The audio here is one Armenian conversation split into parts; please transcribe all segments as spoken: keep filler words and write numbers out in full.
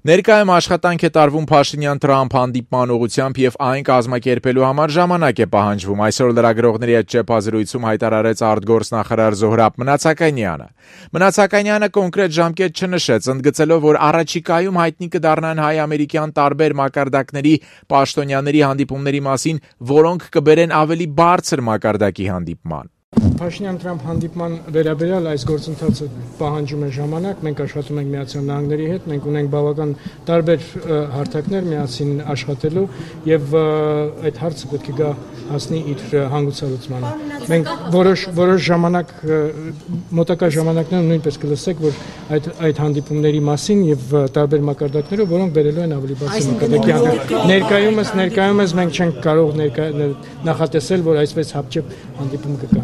Ներկայում աշխատանք է տարվում Փաշինյան-Թրամփ հանդիպման ուղղությամբ եւ այն կազմակերպելու համար ժամանակ է պահանջվում։ Այսօր լրագրողների հետ ճեպազրույցում հայտարարեց արտգործնախարար Զոհրաբ Մնացականյանը։ Մնացականյանը կոնկրետ ժամկետ չնշեց, ընդգծելով, որ առաջիկայում հայտնի կդառնան հայ-ամերիկյան տարբեր մակարդակների պաշտոնյաների հանդիպումների մասին, որոնք կբերեն ավելի բարձր մակարդակի հանդիպման։ Փաշինյան-Թրամփ հանդիպման վերաբերյալ այս գործընթացը պահանջում է ժամանակ, մենք աշխատում ենք Միացյալ Նահանգների հետ, մենք ունենք բավական տարբեր հարթակներ միասին աշխատելու եւ այդ հարցը պետք է գա հասնի իր հանգուցալուծմանը։ Մենք որոշ որոշ ժամանակ մոտակա ժամանակներում նույնպես կլսեք, որ այդ այդ հանդիպումների մասին եւ տարբեր մակարդակներով, որոնք բերելու են ավելի բարձր մակարդակի։ Ներկայումս ներկայումս մենք չենք կարող նախատեսել, որ այսպես հապճեպ հանդիպում կգա։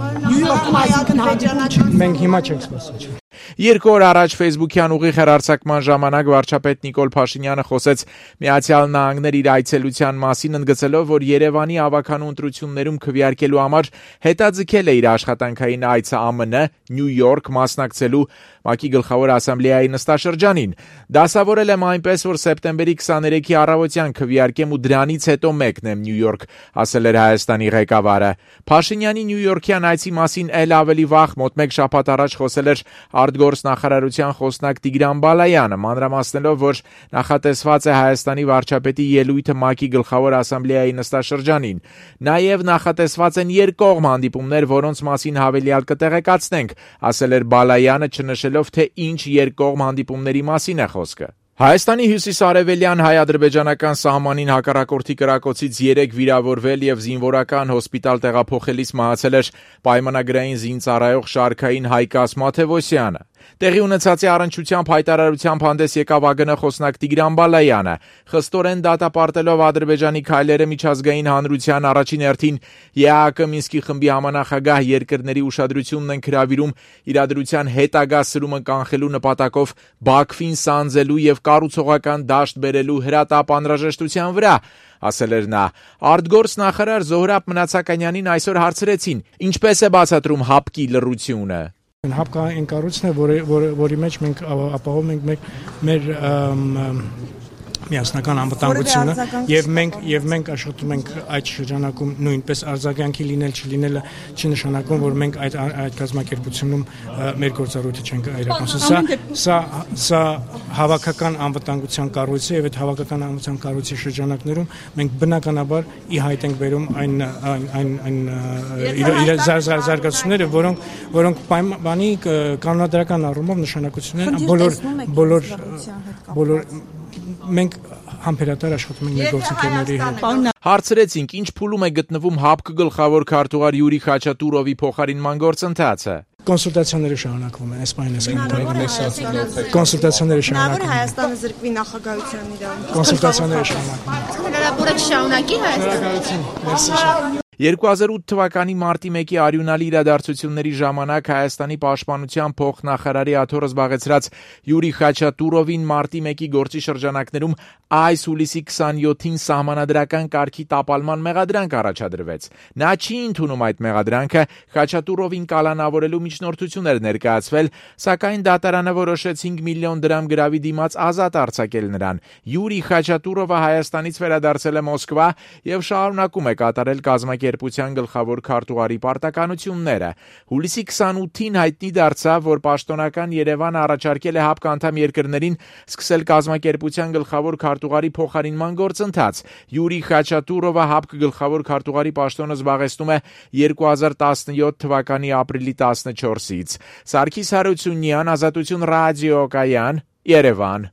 Մենք հիմա չենք սպասում։ Երկու օր առաջ Facebook-յան ուղիղ հեռարձակման ժամանակ վարչապետ Նիկոլ Փաշինյանը խոսեց Միացյալ Նահանգներ իր այցելության մասին, ընդգծելով, որ Երևանի ավականու ընտրություններում քվեարկելու համար հետաձգել է իր աշխատանքային այցը ԱՄՆ, Նյու Յորք մասնակցելու ՄԱԿ-ի գլխավոր ասամբլեայի նստաշրջանին։ Դասավորել եմ այնպես, որ սեպտեմբերի քսաներեքի առավոտյան քվեարկեմ ու դրանից հետո մեկնեմ Նյու Յորք, ասել էր Հայաստանի ղեկավարը։ Փաշինյանի Նյու Յորքյան այցի մասին էլ ավելի վաղ մոտ մեկ շաբաթ առաջ խոսել էր արտգործնախարարության խոսնակ Տիգրան Բալայանը, մանրամասնելով, որ նախատեսված է Հայաստանի վարչապետի ելույթը ՄԱԿ-ի գլխավոր ասամբլեայի նստաշրջանին։ Նաև նախատեսված են երկկողմ հանդիպումներ, որոնց մասին հավելյալ կտեղեկացնենք, ասել էր Բալայանը, չնշելով, թե ինչ երկկողմ հանդիպումների մասին է խոսքը։ Հայաստանի հյուսիսարևելյան հայ-ադրբեջանական սահմանին հակառակորդի կրակոցից երեք վիրավորվել եւ զինվորական հոսպիտալ տեղափոխելիս մահացել էր պայմանագրային զինծառայող շարքային Հայկաս Մաթևոսյանը։ Տեղի ունեցածի առնչությամբ հայտարարությամբ հանդես եկավ ԱԳՆ խոսնակ Տիգրան Բալայանը, խստորեն դատապարտելով Ադրբեջանի քայլերը միջազգային հանրության առաջին հերթին ԵԱՀԿ Մինսկի խմբի համանախագահ երկրների ուշադրությունն են հրավիրում իրադրության հետագա սրումը կանխելու նպատակով Բաքվին սանձելու եւ կառուցողական դաշտ բերելու հրատապ անհրաժեշտության վրա, ասել էր նա։ Արտգործնախարար Զոհրաբ Մնացականյանին այսօր հարցրեցին, ինչպես է բացատրում ՀԱՊԿ-ի լռությունը։ ՀԱՊԿ-ը այն կառույցն է, որի, որի, որի մեջ մենք ապահովում ենք մեր, մեր միասնական անվտանգությունը եւ մենք եւ մենք աշխատում ենք այդ շրջանակում նույնպես արձագանքի լինել չլինելը չնշանակում, որ մենք այդ այդ կազմակերպությունում մեր գործառույթը չենք իրականացնում։ Սա սա սա հավաքական անվտանգության կառույց է եւ այդ հավաքական անվտանգության կառույցի շրջանակներում մենք բնականաբար ի հայտ ենք բերում այն այն այն իր զարգացումները, որոնք որոնք պայմանի կանոնադրական առումով նշանակություն են բոլոր բոլոր բոլոր մենք համբերատար աշխատում ենք մեր գործընկերների հետ։ Հարցրեցինք, ինչ փուլում է գտնվում ՀԱՊԿ գլխավոր քարտուղար Յուրի Խաչատուրովի փոխարինման գործընթացը։ Կոնսուլտացիաները շարունակվում են, այսպես այսպես կոնսուլտացիաները շարունակվում են։ Հայաստանը զրկվի նախագահության իրավունքից։ Կոնսուլտացիաները շարունակվում են։ Հնարավորը չշարունակի Հայաստանը։ երկու հազար ութ թվականի մարտի մեկի արյունալի իրադարձությունների ժամանակ Հայաստանի պաշտպանության փոխնախարարի աթոռը զբաղեցրած Յուրի Խաչատուրովին մարտի մեկի գործի շրջանակներում այս հուլիսի քսանյոթին սահմանադրական կարգի տապալման մեղադրանք առաջադրվեց։ Նա չի ընդունում այդ մեղադրանքը, Խաչատուրովին կալանավորելու միջնորդություն էր ներկայացվել, սակայն դատարանը որոշեց հինգ միլիոն դրամ գրավի դիմաց ազատ արձակել նրան։ Յուրի Խաչատուրովը Հայաստանից վերադարձել է Մոսկվա եւ շարունակում է կատարել կազմակերպության գլխավոր քարտուղարի պարտականությունները։ Հուլիսի քսանութին հայտնի դարձավ, որ պաշտոնական Երևանը առաջարկել է ՀԱՊԿ անդամ երկրներին սկսել կազմակերպության գլխավոր քարտուղարի փոխարինման գործընթաց։ Յուրի Խաչատուրովը ՀԱՊԿ գլխավոր քարտուղարի պաշտոնը զբաղեցնում է երկու հազար տասնյոթ թվականի ապրիլի տասնչորսից։ Սարգիս Հարությունյան, Ազատություն ռադիոկայան, Երևան։